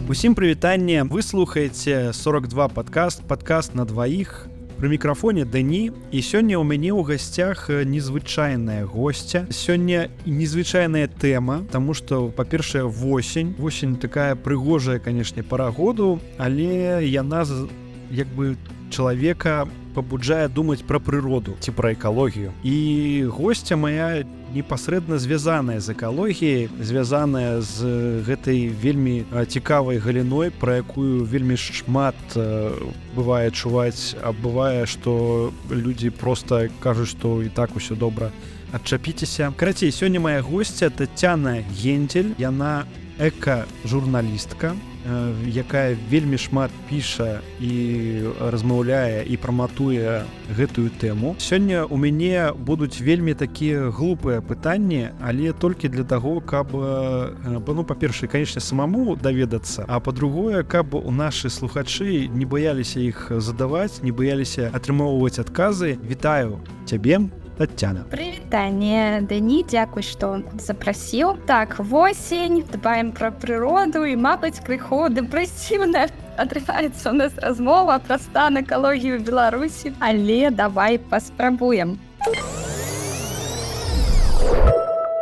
Усім прывітанне, вы слухаеце 42 падкаст на дваіх. Пры мікрафоне Дэні, і сёння ў мяне ў гасцях незвычайная госця. Сёння незвычайная тэма, таму што, па-першае, восень. Восень такая прыгожая, канешне, пара году, але яна як бы чалавека пабуджае думаць пра прыроду ці пра экалогію. І госця моя непасрэдна звязаная з экалогіяй, звязаная з гэтай вельмі цікавай галіной, пра якую вельмі шмат бывае чуваць, а бывае, што людзі проста кажуць, што і так усё добра. Адчапіцеся. Карацей, сёння моя госця Тацяна Гендель, яна эка-журналістка, якая вельмі шмат піша і размаўляе і праматуе гэтую тэму. Сёння ў мяне будуць вельмі такія глупыя пытанні, але толькі для таго, каб, па-першае, канечне, самому даведацца, а па-другое, каб у нашы слухачы не баяліся іх задаваць, не баяліся атрымоўваць адказы. Вітаю цябе, Тацяна. Прывітанне, Дэні, дзякуй, што запрасіў. Так, восень, дбаем пра прыроду і, мабыць, крыху дэпрэсіўна атрымаецца ў нас размова пра стан экалогіі ў Беларусі, але давай паспрабуем.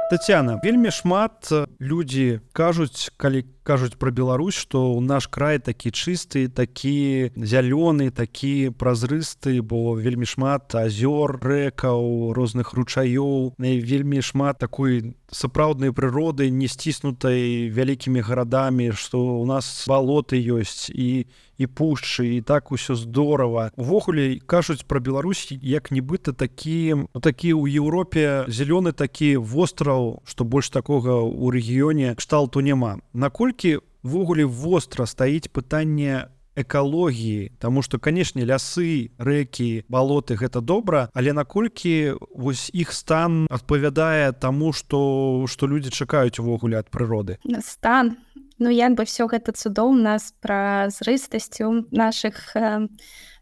Тацяна, вельмі шмат людзі кажуць, калі кажуць пра Беларусь, што ў наш край такі чысты, такі зялёны, такі празрысты, бо вельмі шмат азёр, рэкаў, розных ручаёў, вельмі шмат такой сапраўднай прыроды, не сціснутай вялікімі гарадамі, што ў нас балоты ёсць і пушчы, і так усё здорава. Увогуле кажуць пра Беларусь як нібыта такі ў Еўропе зялёны такі востраў, што больш такога ў рэгіёне кшталту няма. Наколькі ввогуле востра стаіць пытанне экалогіі, таму што, канешне, лясы, рэкі, балоты гэта добра, але наколькі вось іх стан адпавядае таму, што людзі чакаюць увогуле ад прыроды? Стан. Як бы все гэта цудоўна з празрыстасцю нашых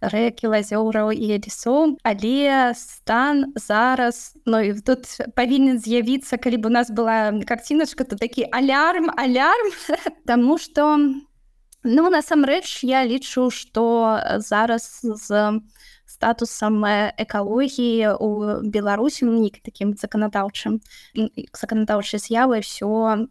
рэк, азёраў і лесоў, але стан зараз, і тут павінен з'явіцца, калі б у нас была карціначка, то такі алярм, таму што, насамрэч, я лічу, што зараз з статусам экалогіі ў Беларусі, такім заканадаўчай з'явай, все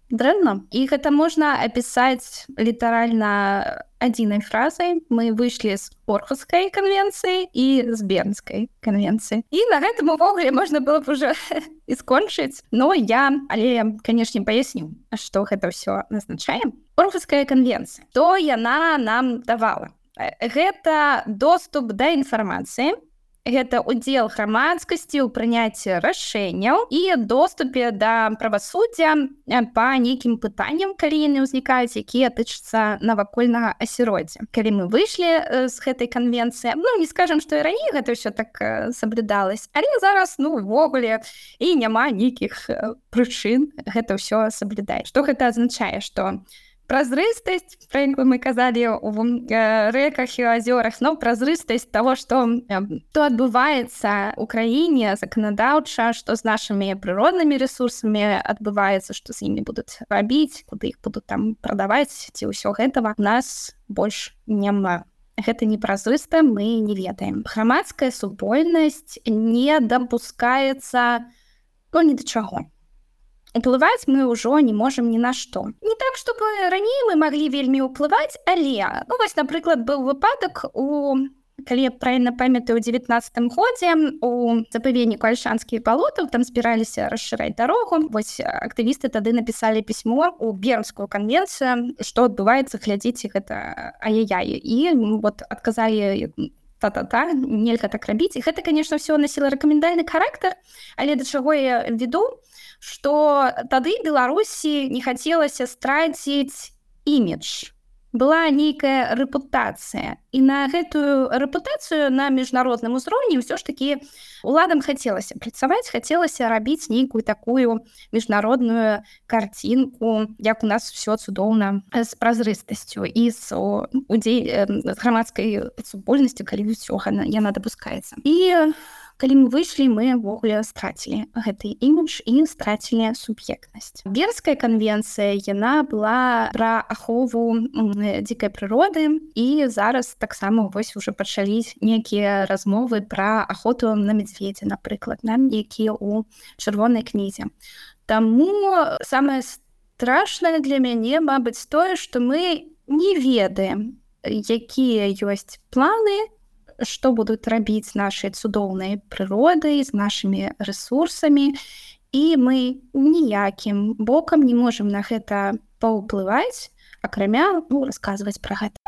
дрэнна. І гэта можна апісаць літаральна адзінай фразай. Мы выйшлі з Орхускай канвенцыі і з Бернскай канвенцыі. І на гэтым увогуле можна было б уже і скончыць. Але, канешне, паясню, што гэта ўсё азначае. Орхуская канвенцыя. Што яна нам давала? Гэта доступ да інфармацыі, гэта удзел грамадскасці ў прыняцці рашэнняў і доступе да правасуддзя па нейкім пытанням, калі яны ўзнікаюць, якія тычацца навакольнага асяроддзя. Калі мы выйшлі з гэтай канвенцыі, не скажам, што і раней гэта ўсё так саблюдалось, але зараз, увогуле, і няма нейкіх прычын гэта ўсё саблюдаць. Што гэта азначае? Што празрыстасць, пра якую мы казалі ў рэках і азёрах, празрыстасць таго, што адбываецца ў краіне заканадаўча, што з нашымі прыроднымі рэсурсамі адбываецца, што з імі будуць рабіць, куды іх будуць там прадаваць, ці ўсё гэтага у нас больш няма. Гэта непразрыста, мы не ведаем. Грамадская супольнасць не дапускаецца ні да чаго. Уплываць мы ўжо не можам ні на што. Не так, чтобы раней мы маглі вельмі ўплываць, але, напрыклад, быў выпадак калі я правільна памятаю, у 19-м годзе у запаведніку Альшанскіх балотаў там збіраліся расшыраць дарогу. Вось актывісты тады напісалі пісьмо ў Бернскую канвенцыю, што адбываецца, глядзіце, гэта ай-яй-яй. І адказалі та-та-та, нельга так рабіць. І гэта, конечно, все носіла рэкамендальны характар, але да чаго я веду, што тады Беларусі не хацелася страціць імідж. Была нейкая рэпутацыя. І на гэтую рэпутацыю на міжнародным узроўні ўсё ж такі уладам хацелася працаваць, хацелася рабіць нейкую такую міжнародную карцінку, як у нас ўсё цудоўна з празрыстасцю і з грамадскай супольнасцю, калі ўсё яна дапускаецца. І калі мы выйшлі, мы ўвогуле страцілі гэты імідж і страцілі суб'ектнасць. Бернская канвенцыя, яна была пра ахову дзікай прыроды, і зараз таксама вось уже пачалі нейкія размовы пра ахоту на медведя, напрыклад, якія ў чырвонай кнізе. Таму самае страшнае для мяне, мабыць, тое, што мы не ведаем, якія ёсць планы, што будуць рабіць з нашай цудоўнай прыродай, з нашымі рэсурсамі, і мы ніякім бокам не можам на гэта паўплываць, акрамя расказваць пра гэта.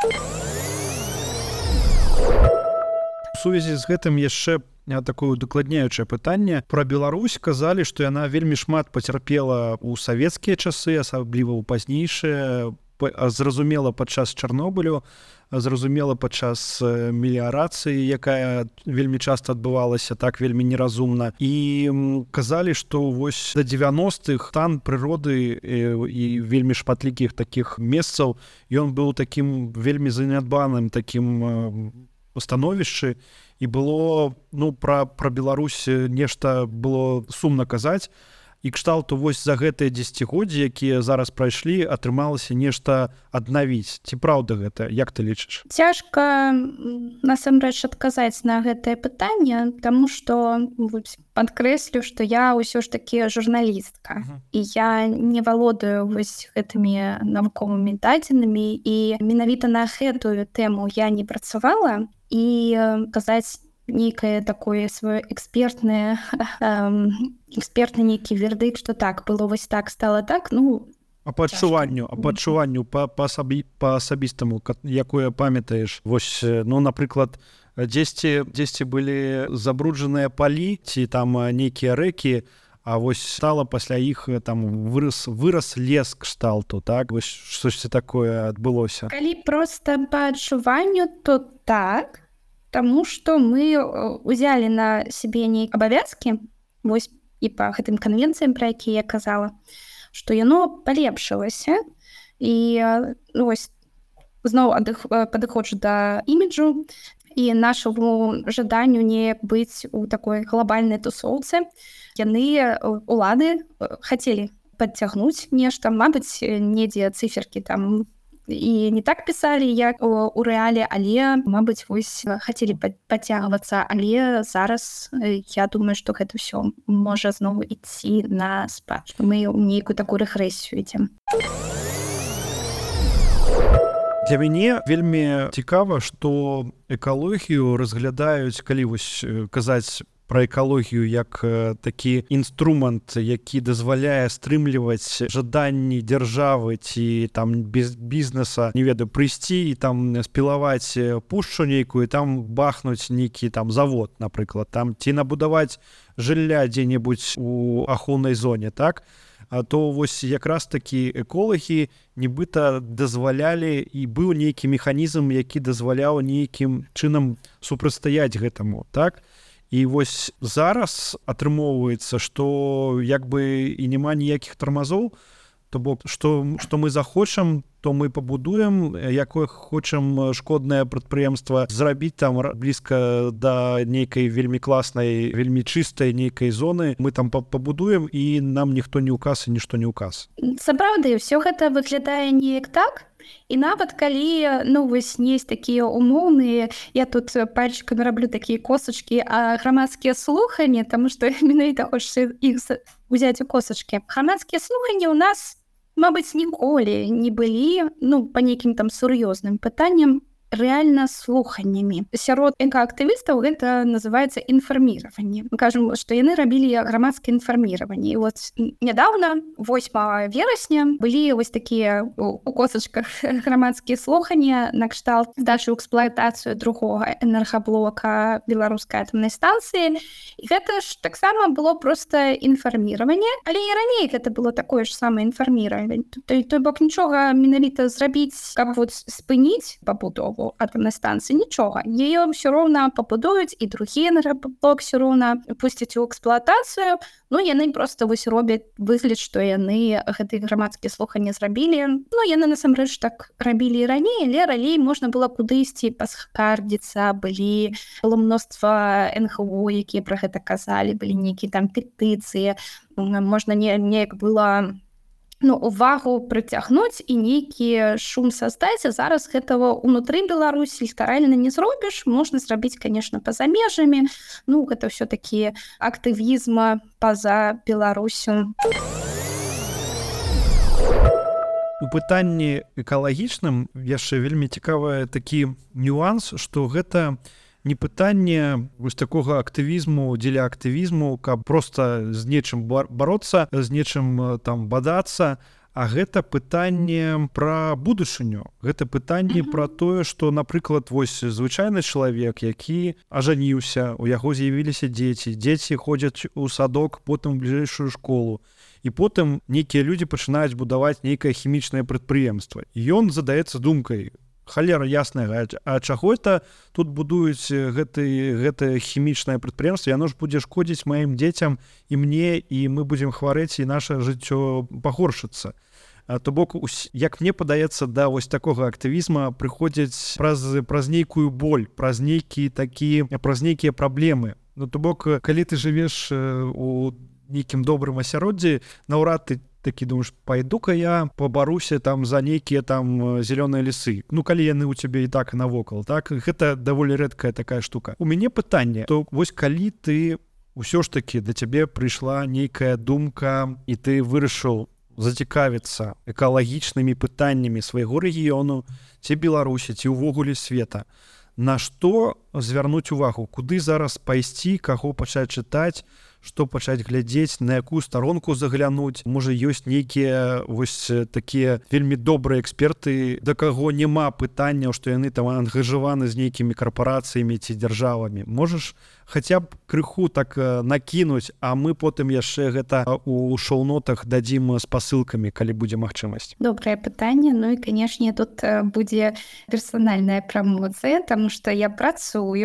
У сувязі з гэтым яшчэ такое удакладняючае пытанне. Пра Беларусь казалі, што яна вельмі шмат пацярпела ў савецкія часы, асабліва ў пазнейшыя, зразумела падчас Чарнобылю, зразумела падчас меліярацыі, якая вельмі часта адбывалася так вельмі неразумна. І казалі, што вось да 90-х стан прыроды і вельмі шматлікіх такіх месцаў, ён быў такім вельмі занядбаным такім становішчы, і было, пра Беларусь нешта было сумна казаць, і кшталту вось за гэтыя дзесяцігоддзі, якія зараз прайшлі, атрымалася нешта аднавіць. Ці праўда гэта? Як ты лічыш? Цяжка насамрэч адказаць на гэтае пытанне, таму што падкрэслю, што я ўсё ж такі журналістка, і я не валодаю вось гэтымі навуковымі дадзенымі, і менавіта на гэтую тэму я не працавала, і казаць нейкае такое сваё экспертны нейкі вердыкт, што так, было вось так, стала так, А па адчуванню па асабістаму, якое памятаеш, вось, напрыклад, дзесьці былі забруджаныя палі, ці там нейкія рэкі, а вось стала пасля іх там вырас лес кшталту, так? Вось штосьці такое адбылося. Калі проста па адчуванню, то так, таму што мы ўзялі на сябе нейкія абавязкі, вось і па гэтым канвенцыям, пра якія я казала, што яно палепшылася, і вось зноў падыходжу да іміджу і нашаму жаданню не быць у такой глобальнай тусоўцы. Яны, улады, хацелі падцягнуць нешта, мабыць, недзе цыферкі там і не так пісалі, як у рэале, але, мабыць, вось хацелі падцягвацца, але зараз я думаю, што гэта ўсё можа зноў ісці на спад, што мы ў нейкую такую рэгрэсію ідзем. Для мяне вельмі цікава, што экалогію разглядаюць, калі вось казаць пра экалогію як такі інструмент, які дазваляе стрымліваць жаданні дзяржавы ці там бізнеса, не ведаю, прыйсці і там спілаваць пушчу нейкую, там бахнуць нейкі там завод, напрыклад, там ці набудаваць жылля дзе-небудзь у ахоўнай зоне, так? То вось якраз такі эколагі нібыта дазвалялі, і быў нейкі механізм, які дазваляў нейкім чынам супрацьстаяць гэтаму, так? І вось зараз атрымоўваецца, што як бы і няма ніякіх тармазоў, то бок, што мы захочам, то мы пабудуем, якое хочам шкоднае прадпрыемства зрабіць там блізка да нейкай вельмі класнай, вельмі чыстай нейкай зоны, мы там пабудуем, і нам ніхто не ўказ і нішто не ўказ. Сапраўды, ўсё гэта выглядае неяк так, і нават калі, вось есть такія умоўныя, я тут пальчыкамі раблю такія косачкі, а грамадскія слуханні, таму што менавіта хочацца іх узяць у косачкі. Грамадскія слуханні ў нас, мабыць, ніколі не былі, па нейкім там сур'ёзным пытанням, рэальна слуханнямі. Сярод экаактывістаў гэта называецца інфарміраванне. Мы кажам, што яны рабілі грамадскае інфарміраванне. І вот нядаўна, 8 верасня, былі вось такія у косачках грамадскія слуханні накшталт здачы ў эксплуатацыю другога энергаблока беларускай атамнай станцыі. І гэта ж таксама было проста інфарміраванне, але і раней гэта было такое ж самае інфарміраванне. Той бок нічога менавіта зрабіць, каб вот спыніць пабудову, новую атомную станцию, ничего. Ее все равно побудуют, и другие энергоблок все равно пустят в эксплуатацию. Ну, яны просто вось робяць выгляд, што яны гэтыя грамадскія слуханні зрабілі. Ну, яны насамрэч так рабілі і раней, але раней можна было кудысьці паскардзіцца, было мноства НГО, якія пра гэта казалі, былі нейкія там петыцыі, можна неяк было увагу прыцягнуць і нейкі шум создаць. А зараз гэтага ўнутры Беларусі літаральна не зробіш. Можна зрабіць, конечно, па-за межамі. Гэта ўсё-такі актывізм па-за Беларусю. У пытанні экалагічным яшчэ вельмі цікавы такі нюанс, што гэта не пытанне вось такога актывізму дзеля актывізму, каб проста з нечым бароцца, з нечым там бадацца, а гэта пытанне пра будучыню. Гэта пытанне пра тое, што, напрыклад, вось звычайны чалавек, які ажаніўся, у яго з'явіліся дзеці ходзяць у садок, потым у бліжэйшую школу. І потым нейкія людзі пачынаюць будаваць нейкае хімічнае прадпрыемства. І ён задаецца думкай: халера ясная, а чаго это тут будуюць гэтае хімічнае прадпрыемства? Яно ж будзе шкодзіць маім дзецям і мне, і мы будзем хварэць, і наша жыццё пагоршыцца. То бок, як мне падаецца, да вось такога актывізма прыходзяць праз нейкую боль, праз нейкія праблемы. То бок, калі ты жывеш у нейкім добрым асяроддзі, наўрад ты такі думаеш: пайду-ка я пабаруся там за нейкія там зялёныя лесы. Калі яны ў цябе і так навокал, так? Гэта даволі рэдкая такая штука. У мяне пытанне, то вось калі ты ўсё ж такі да цябе прыйшла нейкая думка, і ты вырашыў зацікавіцца экалагічнымі пытаннямі свайго рэгіёну, ці Беларусі, ці ўвогуле света, на што звярнуць увагу? Куды зараз пайсці, каго пачаць чытаць, што пачаць глядзець, на якую старонку заглянуць? Можа, ёсць нейкія вось такія вельмі добрыя эксперты, да каго няма пытанняў, што яны там ангажаваны з нейкімі карпорацыямі ці дзяржавамі? Можаш хаця б крыху так накінуць, а мы потым яшчэ гэта у шоу-нотах дадзім з пасылкамі, калі будзе магчымасць. Добрае пытанне. І, канешне, тут будзе персанальная прамоцыя, таму што я працую і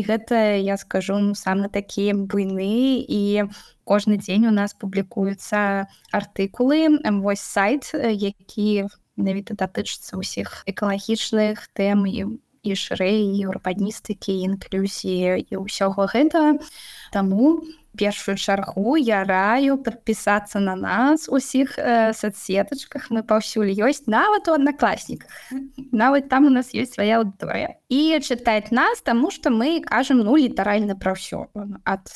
гэта, я скажу, самы такі буйны, і кожны дзень у нас публікуюцца артыкулы. Вось сайт, які менавіта датычыцца ўсіх экалагічных тэм і шырэй, і урбаністыкі, і інклюзіі, і ўсяго гэта. Таму першую чаргу я раю падпісацца на нас усіх соцсетачках. Мы паўсюль ёсць, нават у аднакласніках. Нават там у нас ёсць свая аўдыторыя. І чытаць нас, таму што мы кажам літаральна пра ўсё. Ад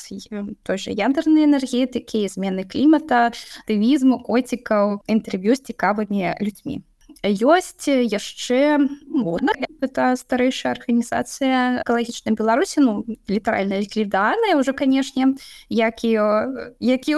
той жа ядернай энергетыкі, змены клімата, актывізму, коцікаў, інтэрв'ю з цікавымі людзьмі. Ёсць яшчэ гэта старэйшая арганізацыя экалагічнай Беларусі, літаральна ліквідаваная ўжо, канешне, як і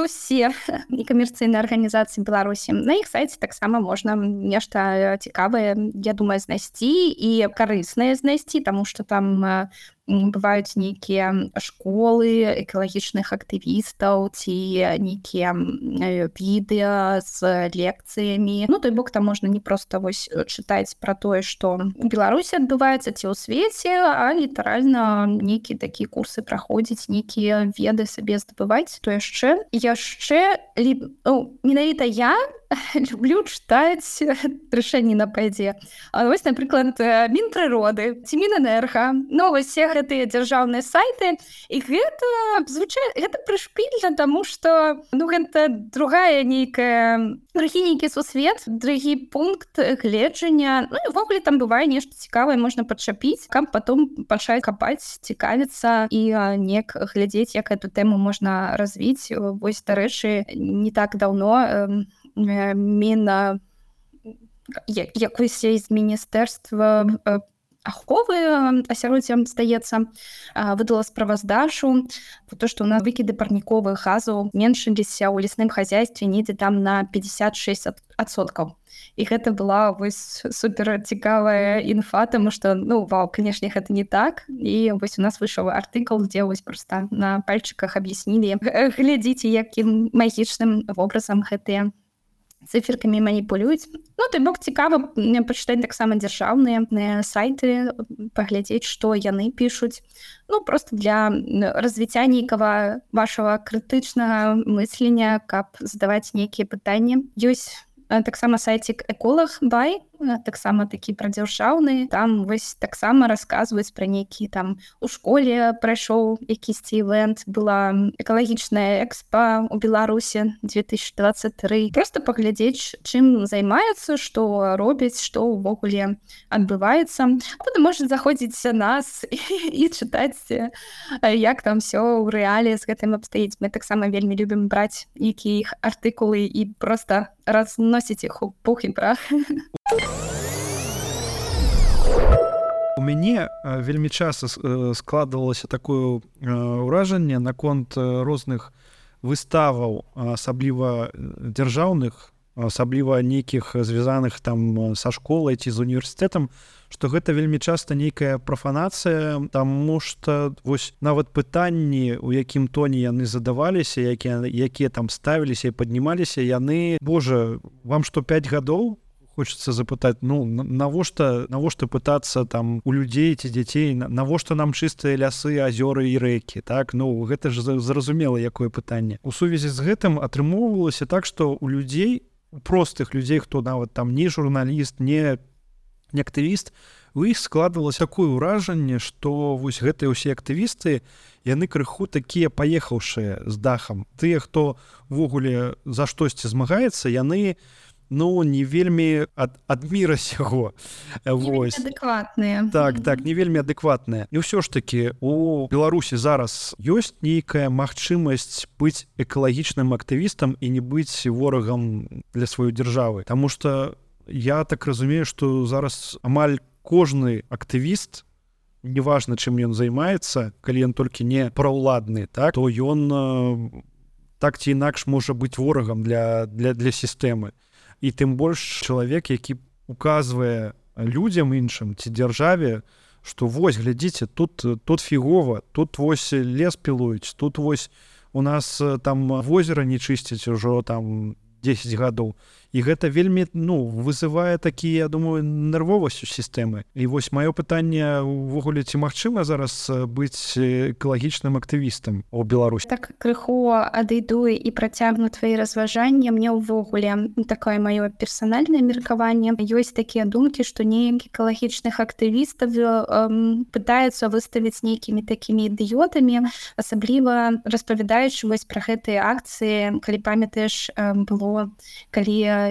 ўсе некамерцыйныя арганізацыі Беларусі. На іх сайце таксама можна нешта цікавае, я думаю, знайсці і карыснае знайсці, таму што там бываюць нейкія школы экалагічных актывістаў ці нейкія відэа з лекцыямі. Той бок, там можна не проста вось чытаць пра тое, што у Беларусі адбываецца ці ў свеце, а літаральна нейкія такія курсы праходзіць, нейкія веды сабе здабываць. То яшчэ менавіта я люблю чытаць рашэнні на пайдзе. Вось, напрыклад, Мінпрыроды ці Мінэнерга, вось все гэтыя дзяржаўныя сайты, і гэта прышпільна, таму што гэта другі нейкі сусвет, другі пункт гледжання. І ввогуле там бывае нешта цікавае, можна падчапіць, каб потом пачаць капаць, цікавіцца і неяк глядзець, як эту тэму можна развіць. Вось, дарэчы, не так даўно якось з міністэрства аховы асяроддзя, здаецца, выдала справаздачу про то, што у нас выкіды парніковых газаў меншыліся ў лясным хазяйстве недзе там на 56%. І гэта была вось супер цікавая інфа, таму што, вау, канешне, гэта не так. І вось у нас выйшаў артыкул, дзе вось проста на пальчыках аб'яснілі, глядзіце, якім магічным вобразам гэтыя циферкамі маніпулююць. Ну, той бок цікава пачытаць таксама дзяржаўныя сайты, паглядзець, што яны пішуць. Ну, просто для развіцця нейкага вашага крытычнага мыслення, каб задаваць нейкія пытанні. Ёсць таксама сайцік «Эколог Бай», таксама такі прадзяржаўны. Там вось таксама расказваюць пра нейкі там у школе прайшоў якісьці івэнт, была экалагічная экспа ў Беларусі 2023. Просто паглядзець, чым займаюцца, што робяць, што ўвогуле адбываецца. А потым можна заходзіць на нас і чытаць, як там всё ў рэале з гэтым абстаіць. Мы таксама вельмі любім браць нейкія іх артыкулы і просто разносіць іх у пух і прах. У мяне вельмі часта складвалася такое ўражанне наконт розных выставаў, асабліва дзяржаўных, асабліва нейкіх звязаных там са школай ці з універсітэтам, што гэта вельмі часта нейкая прафанацыя, таму што вось нават пытанні, у якім тоне яны задаваліся, якія там ставіліся і паднімаліся, яны, божа, вам што 5 гадоў? Хочется запытаць, ну, навошта пытацца там у людзей ці дзяцей, навошта нам чыстыя лясы, азёры і рэкі, так? Ну, гэта ж зразумела, якое пытанне. У сувязі з гэтым атрымоўвалася так, што у людзей, у простых людзей, хто нават там не журналіст, не актывіст, у іх складвалася такое ўражанне, што вось гэтыя ўсе актывісты, яны крыху такія паехаўшыя з дахам. Тыя, хто ўвогуле за штосьці змагаецца, яны ну, не вельмі ад міра сяго. Не вельмі адэкватныя. Так, не вельмі адэкватныя. І ўсё ж такі, у Беларусі зараз ёсць нейкая магчымасць быць экалагічным актывістам і не быць ворагам для сваёй дзяржавы. Таму што я так разумею, што зараз амаль кожны актывіст, неважна, чым ён займаецца, калі ён толькі не праўладны, так, то ён так ці інакш можа быць ворагам для сістэмы. І тым больш чалавек, які указвае людзям іншым ці дзяржаве, што вось, глядзіце, тут фігова, тут вось лес пілуюць, тут вось у нас там возера не чысцяць ужо там 10 гадоў. І гэта вельмі, ну, вызывае такі, я думаю, нервовасць у сістэмы. І вось маё пытанне увогуле, ці магчыма зараз быць экалагічным актывістам у Беларусі? Так крыху адыйду і працягну твои разважанні. Мне ўвогуле такое маё персанальнае меркаванне. Ёсць такія думкі, што неяк экалагічных актывістаў пытаюцца выставіць нейкімі такімі ідыётамі, асабліва распавядаючы вось пра гэтыя акцыі, калі памятаеш, было, калі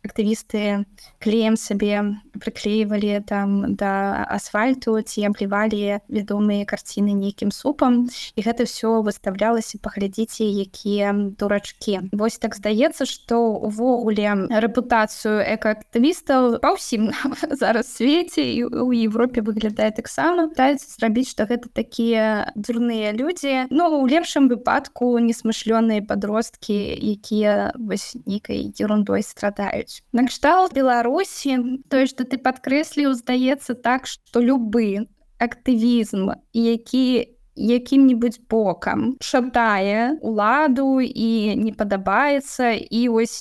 актывісты клеем сабе прыклеівалі там да асфальту ці аблівалі вядомыя карціны нейкім супам, і гэта ўсё выставлялася, паглядзіце, якія дурачкі. Вось так здаецца, што ўвогуле рэпутацыю экаактывістаў па ўсім зараз свеце і ў Европе выглядае таксама. Пытаюцца зрабіць, што гэта такія дурныя людзі, ну, у лепшым выпадку несмышлёныя падросткі, якія вось нейкай ерундой страдаюць. Накшталт Беларусі, тое, што ты падкрэсліў, здаецца так, што любы актывізм, які якім-небудзь бокам шатае уладу і не падабаецца, і ось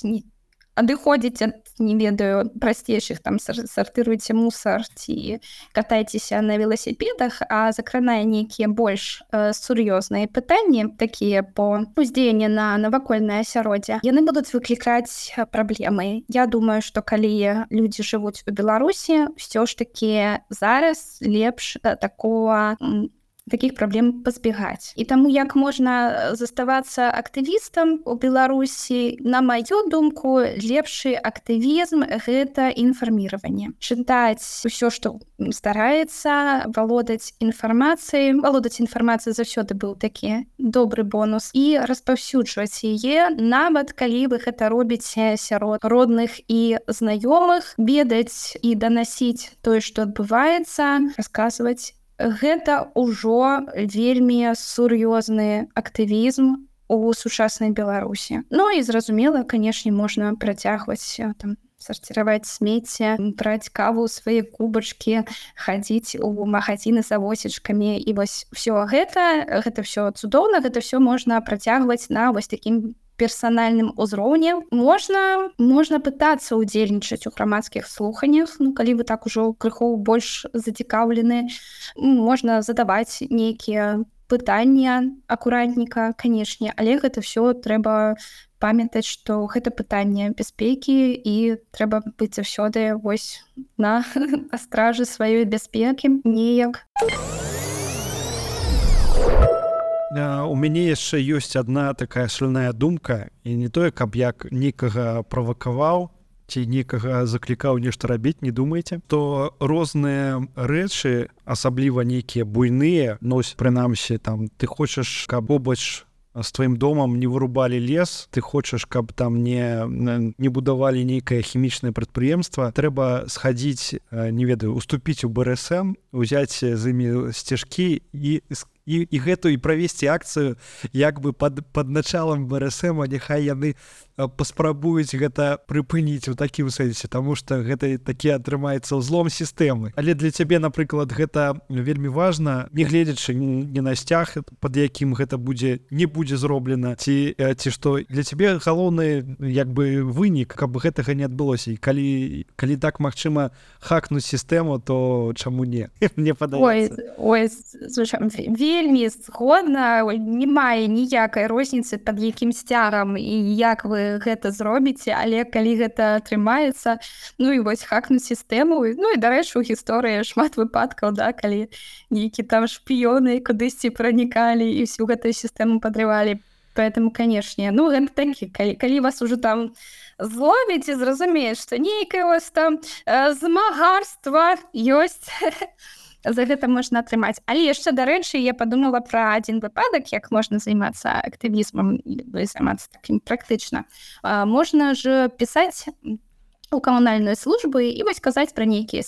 адыходзіць ад, не ведаю, прасцейшых, там, сартыруйце мусар ці катайцеся на веласіпедах, а закранае нейкія больш сур'ёзныя пытанні, такія по уздзеянні на навакольнае асяроддзе, яны будуць выклікаць праблемы. Я думаю, што калі людзі жывуць у Беларусі, ўсё ж такі зараз лепш такіх праблем пазбегаць. І таму як можна заставацца актывістам у Беларусі, на маю думку, лепшы актывізм — гэта інфарміраванне. Чытаць усё, што стараецца, валодаць інфармацыяй. Валодаць інфармацыяй заўсёды быў такі добры бонус. І распаўсюджваць яе, нават калі вы гэта робіце сярод родных і знаёмых, ведаць і данасіць тое, што адбываецца, расказваць. Гэта ўжо вельмі сур'ёзны актывізм у сучаснай Беларусі. Ну і зразумела, канешне, можна працягваць там сарціраваць смецце, браць каву ў свае кубачкі, хадзіць у магазіны за восечкамі. І вось всё гэта ўсё цудоўна, гэта ўсё можна працягваць на вось такім персанальным узроўні. Можна пытацца ўдзельнічаць у грамадскіх слуханнях. Ну, калі вы так ужо крыху больш зацікаўлены, можна задаваць нейкія пытання акуратненька, канешне, але гэта ўсё трэба памятаць, што гэта пытанне бяспекі і трэба быць заўсёды вось на стражы сваёй бяспекі неяк. У мяне яшчэ ёсць адна такая шальная думка, і не тое, каб як некага правакаваў ці некага заклікаў нешта рабіць, не думайце, то розныя рэчы, асабліва нейкія буйныя, прынамсі, там, ты хочаш, каб побач з тваім домам не вырубалі лес, ты хочаш, каб там не будавалі нейкае хімічнае прадпрыемства, трэба схадзіць, не ведаю, уступіць у БРСМ, узяць з імі сцяжкі і гэту і правесці акцыю як бы пад началам БРСМ, няхай яны паспрабуюць гэта прыпыніць у такім сэнсе, таму што гэта такі атрымаецца ўзлом сістэмы. Але для цябе, напрыклад, гэта вельмі важна, не гледзячы не на сцяг, пад якім гэта не будзе зроблена, ці што для цябе галоўны як бы вынік, каб гэтага не адбылося. І калі так магчыма хакнуць сістэму, то чаму не? Мне падаецца. Ой, вельмі згодна, немає ніякай розніцы пад якім сцягам і як вы гэта зробіце, але калі гэта атрымаецца, ну і вось хакнуць сістэму. Ну і, дарэчы, у гісторыі шмат выпадкаў, да, калі нейкі там шпіёны кудысьці пранікалі і всю гэтую сістэму падрывалі. Поэтому, канешне, ну гэта такі, калі вас ужо там зловіць і зразумееш, што нейкае вось там змагарства ёсць, за гэта можна атрымаць. Але яшчэ, дарэчы, я падумала пра адзін выпадак, як можна займацца актывізмам, займацца такім практычна. Можна ж пісаць у камунальную службу і вось казаць пра нейкія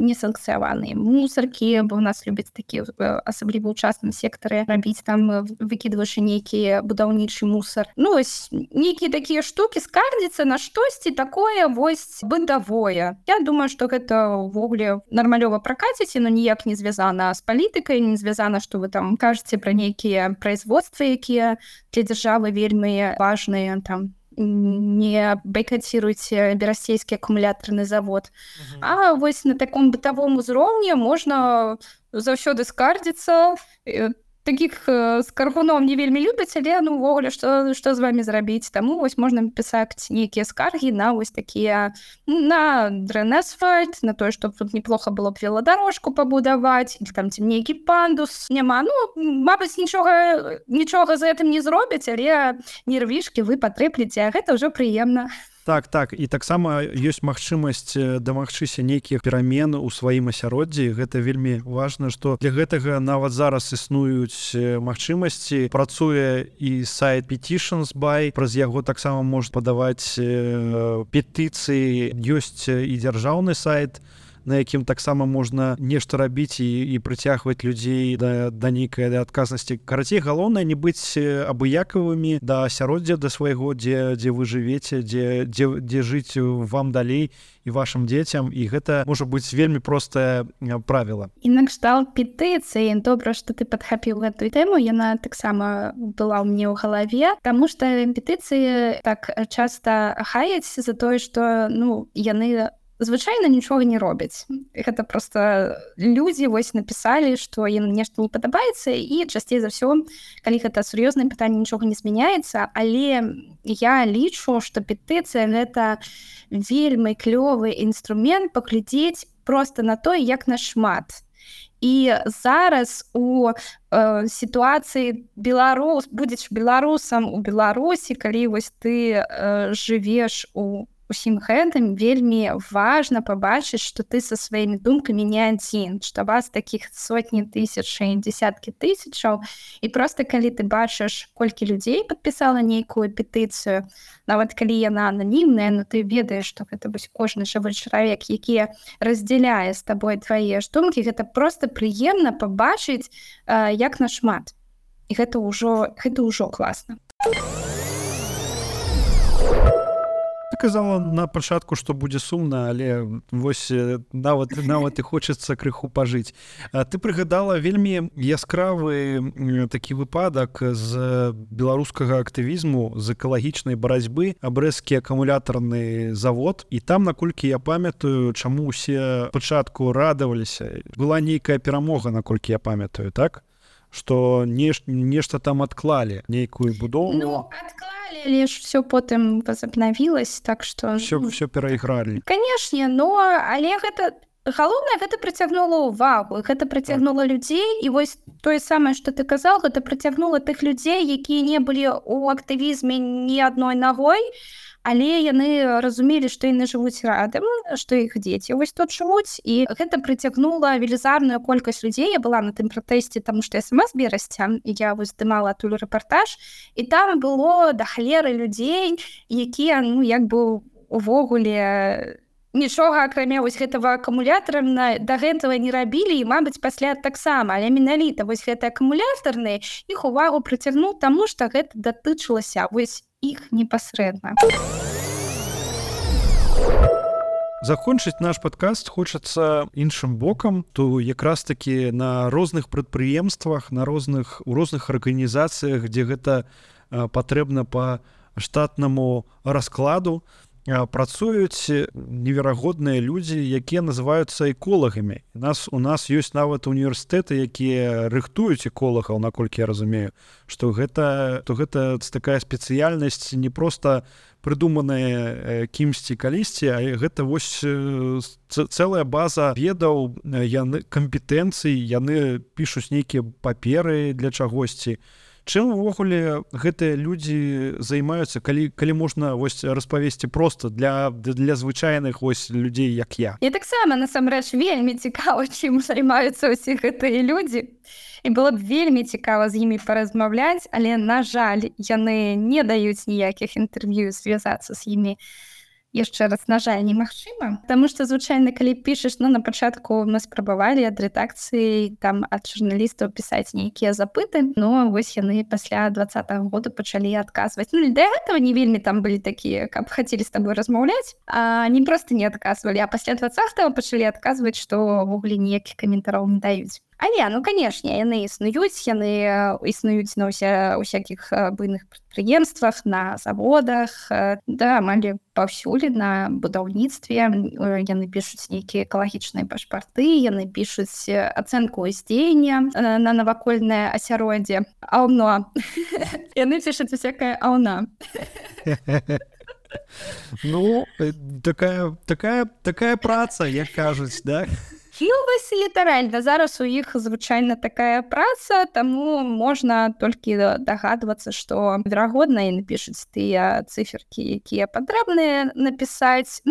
несанкцыяваныя мусаркі, бо ў нас любяць такі, асабліва ў частным сектары, рабіць там, выкідваючы нейкі будаўнічы мусар. Ну, вось нейкія такія штукі, скардзіцца на штосьці такое вось бытавое. Я думаю, што гэта ўвогуле нармалёва пракаціць, но ніяк не звязана з палітыкай, не звязана, што вы там кажаце пра нейкія производствы, якія для дзяржавы вельмі важныя, там, не байкаціруйце берасцейскі акумулятарны завод. А вось на таком бытавом узроўні можна заўсёды скардзіцца. Такіх скаргуноў не вельмі любяць, але ну ўвогуле што з вамі зрабіць. Таму вось можна пісаць нейкія скаргі на вось такія, на дрэнэсфальт, на тое, што тут неплохо было б веладарожку пабудаваць, или там ці нейкі пандус няма. Ну, мабыць, нічога за гэтым не зробяць, але нервішкі вы патрэплеце, а гэта ўжо прыемна. Так, і таксама ёсць магчымасць дамагчыся нейкіх перамен у сваім асяроддзі. Гэта вельмі важна, што для гэтага нават зараз існуюць магчымасці. Працуе і сайт Petitions by, праз яго таксама можна падаваць петыцыі. Ёсць і дзяржаўны сайт, на якім таксама можна нешта рабіць і прыцягваць людзей да нейкай адказнасці. Карацей, галоўнае не быць абыякавымі да асяроддзя, да свайго, дзе вы жывеце, дзе жыць вам далей і вашым дзецям, і гэта можа быць вельмі простае правіла. І накшталт петыцыі, добра, што ты падхапіў гэтую тэму, яна таксама была ў мне ў галаве, таму што петыцыі так часта хаяць за тое, што ну яны звычайна нічога не робяць. Гэта проста людзі вось напісалі, што ім нешта не падабаецца, і часцей за ўсё, калі гэта сур'ёзнае пытанне, нічога не змяняецца, але я лічу, што петыцыя гэта вельмі клёвы інструмент паглядзець проста на тое, як нашмат. І зараз у сітуацыі будзеш беларусам у Беларусі, калі вось ты жывеш у усім гэтым, вельмі важна пабачыць, што ты са сваімі думкамі не адзін, што вас такіх сотні тысяч і дзесяткі тысячаў, і проста калі ты бачыш, колькі людзей падпісала нейкую петыцыю, нават калі яна ананімная, но ты ведаеш, што гэта вось кожны жывы чалавек, які раздзяляе з табой твае ж думкі, гэта проста прыемна пабачыць, як нашмат. І гэта ўжо класна. казала на пачатку, што будзе сумна, але вось нават і хочацца крыху пажыць. Ты прыгадала вельмі яскравы такі выпадак з беларускага актывізму, з экалагічнай барацьбы, брэсцкі акумулятарны завод. І там, наколькі я памятаю, чаму ўсе пачатку радаваліся, была нейкая перамога, наколькі я памятаю, так? Што нешта там адклалі, нейкую будову. Ну, адклалі, але ж все потым возобновилось, так што... Все перайгралі. Канешне, але гэта... Галоўнае, гэта прыцягнула ўвагу, гэта прыцягнула людзей, і вось тое самае, што ты казаў, гэта прыцягнула тых людзей, якія не былі ў актывізме ні адной нагой, але яны разумелі, што яны жывуць радам, што іх дзеці вось тут жывуць, і гэта прыцягнула велізарную колькасць людзей. Я была на тым пратэсце, таму што я сама з Берасця, і я вось здымала адтуль рэпартаж, і там было да халеры людзей, якія, як бы увогуле нічога акрамя вось гэтага акумулятара да гэтага не рабілі, і, мабыць, пасля таксама, але менавіта вось гэты акумулятарны іх увагу прыцягнуў, таму што гэта датычылася вось іх непасрэдна. Закончыць наш падкаст хочацца іншым бокам, то якраз такі на розных прадпрыемствах, у розных арганізацыях, дзе гэта патрэбна па штатнаму раскладу, працуюць неверагодныя людзі, якія называюцца эколагамі. У нас ёсць нават універсітэты, якія рыхтуюць эколагаў, наколькі я разумею, што гэта такая спецыяльнасць не проста прыдуманая кімсьці калісьці, а гэта вось цэлая база ведаў, кампетэнцый, яны пішуць нейкія паперы для чагосьці. Чым увогуле гэтыя людзі займаюцца, калі можна вось распавесці проста для звычайных вось людзей, як я? Я таксама, насамрэч, вельмі цікава, чым займаюцца ўсе гэтыя людзі. І было б вельмі цікава з імі паразмаўляць, але, на жаль, яны не даюць ніякіх інтэрв'ю, звязацца з імі. Яшчэ раз, на жаль, немагчыма. Таму што, звычайна, калі пішаш, на пачатку мы спрабавалі ад рэдакцыі, там, ад журналістаў пісаць нейкія запыты, вось яны пасля 20-го года пачалі адказваць. Да гэтага не вельмі там былі такія, каб хацелі з табой размаўляць, а не проста не адказвалі, а пасля 20-го пачалі адказваць, што ўвогуле ніякіх каментараў не даюць. Але, канешне, яны існуюць на ўсякіх буйных прадпрыемствах, на заводах, амаль паўсюль на будаўніцтве. Яны пішуць нейкія экалагічныя пашпарты, яны пішуць ацэнку ўздзеяння на навакольнае асяроддзе. Аўно. Яны пішуць усякае аўна. Такая праца, як кажуць, да? Вось літаральна, зараз у іх звычайна такая праца, таму можна толькі дагадвацца, што, верагодна, яны пішуць тыя цыферкі, якія патрэбныя напісаць.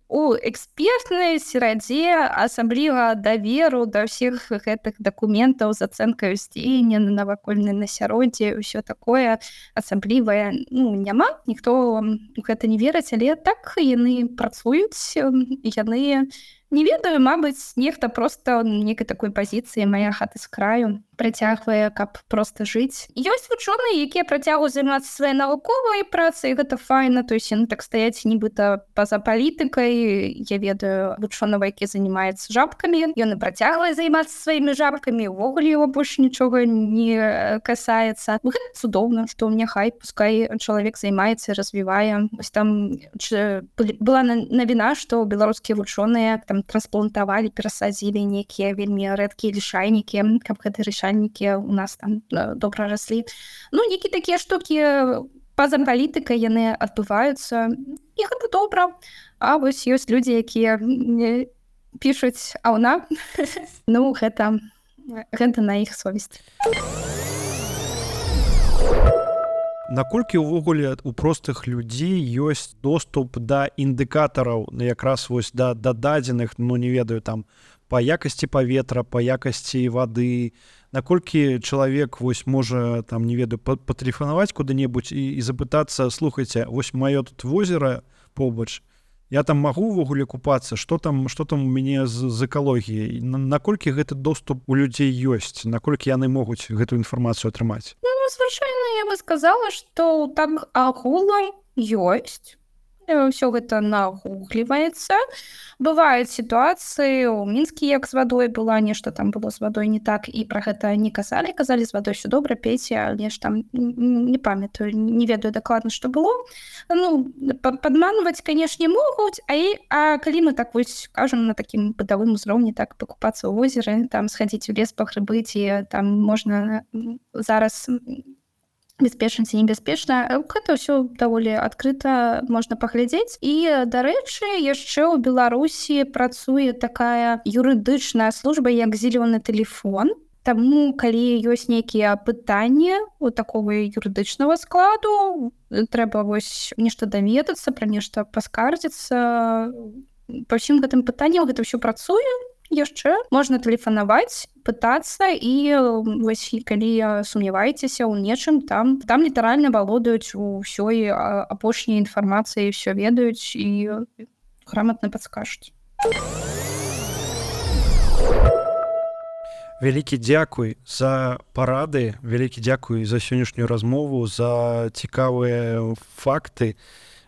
У экспертнай серадзе асабліва даверу да ўсіх гэтых дакументаў з ацэнкай ўздзеяння на навакольнае асяроддзе, ўсё такое асаблівае няма. Ніхто у гэта не верыць, але так яны працуюць, яны не ведаю, мабыць, нехта проста некай такой пазіцыі «Мая хата з краю» працягвае, каб проста жыць. Ёсць вучоныя, якія працягваюць займацца сваёй навуковай працай, гэта файна, то есть яны так стаяць нібыта па-за палітыкай. Я ведаю вучоного, які займаецца жабкамі, ён і працягвае займацца сваімі жабкамі, увогуле яго больш нічога не касаецца. Гэта цудоўна, што няхай, пускай чалавек займаецца, развівае. Вось там была навіна, што беларускія вучоныя там трансплантавалі, перасадзілі нейкія вельмі рэдкія лішайнікі, каб гэтыя лішайнікі у нас там добра раслі. Нейкія такія штукі па-за палітыкай яны адбываюцца, і гэта добра. А вось ёсць людзі, якія пішуць аўна. Гэта на іх совесць. Наколькі ўвогуле у простых людзей ёсць доступ да індыкатараў, якраз вось да дадзеных, не ведаю, там, па якасці паветра, па якасці вады, наколькі чалавек вось можа, там, не ведаю, патэлефанаваць куды-небудзь і запытацца: слухайце, вось маё тут возера побач, я там магу ўвогуле купацца, што там у мяне з экалогіяй? Наколькі гэты доступ у людзей ёсць? Наколькі яны могуць гэту інфармацыю атрымаць? Звычайна я бы сказала, што так агулам ёсць. Все гэта нагугліваецца. Бываюць сітуацыі у мінскі, як з вадой была, нешта там было з вадой не так, і пра гэта не казалі, з вадой ўсё добра, пейце, але ж там не памятаю, не ведаю дакладна, што было. Ну, падманваць, канешне, могуць, а калі мы так вось кажам на такім бытавым узроўні, так пакупацца ў возеры, там схадзіць у лес пагрыбы, ці там можна зараз бяспечна ці небяспечна, гэта ўсё даволі адкрыта можна паглядзець. І, дарэчы, яшчэ ў Беларусі працуе такая юрыдычная служба, як зелёны тэлефон. Таму, калі ёсць нейкія пытанні у такого юрыдычнага складу, трэба вось нешта даведацца, пра нешта паскардзіцца. Па ўсім гэтым пытанням гэта ўсё працуе. Яшчэ можна тэлефанаваць, пытацца, і вось калі сумняваецеся ў нечым, там літаральна валодаюць усёй апошняй інфармацыяй, ўсё ведаюць і граматна падскажуць. Вялікі дзякуй за парады, вялікі дзякуй за сённяшнюю размову, за цікавыя факты.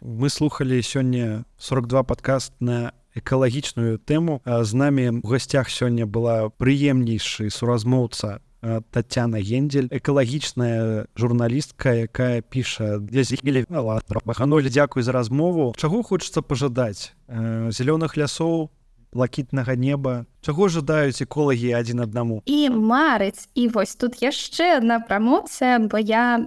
Мы слухалі сёння 42 падкаст на экалагічную тэму. З намі ў гасцях сёння была прыемнейшы суразмоўца Тацяна Гендель, экалагічная журналістка, якая піша для зігілі. Гануль, дзякуй за размову. Чаго хочацца пажадаць? Зялёных лясоў, блакітнага неба. Чаго жадаюць эколагі адзін аднаму? І марыць. І вось тут яшчэ адна прамоцыя, бо я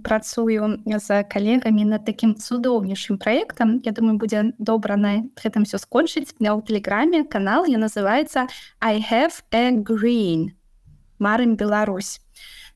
працую з калегамі над такім цудоўнейшым праектам. Я думаю, будзе добра на гэтым все скончыць. У тэлеграме канал, я называецца I have a green. Марым Беларусь.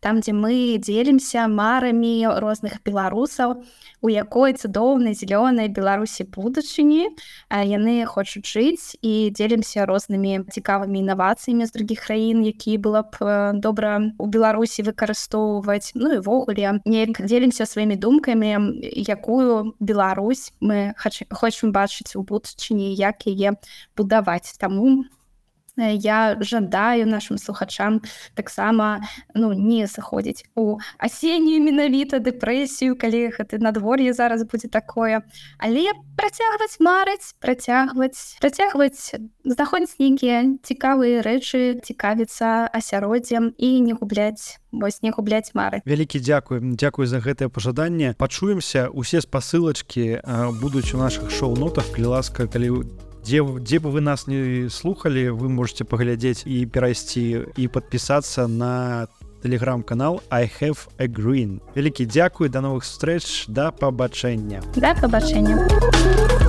Там, дзе мы дзелімся марамі розных беларусаў, у якой цудоўнай зялёнай Беларусі будучыні. Яны хочуць жыць, і дзелімся рознымі цікавымі інавацыямі з другіх краін, якія было б добра у Беларусі выкарыстоўваць. Ну і ввогуле неяк дзелімся сваімі думкамі, якую Беларусь мы хочам бачыць у будучыні, як яе будаваць. Таму я жадаю нашим слухачам таксама не заходзіць у асеннюю менавіта дэпрэсію, калі гэта надвор'е зараз будзе такое, але працягваць марыць, працягваць знаходзіць нейкія цікавыя рэчы, цікавіцца асяроддзем і не губляць мары. Вялікі дзякуй за гэтае пажаданне. Пачуемся, усе спасылачкі будуць у нашых шоу-нотах. Калі ласка, дзе бы вы нас не слухалі, вы можете паглядзець і перайсці і падпісацца на тэлеграм-канал I have a green. Вялікі дзякуй, да новых сустрэч, да пабачэння. Да пабачэння.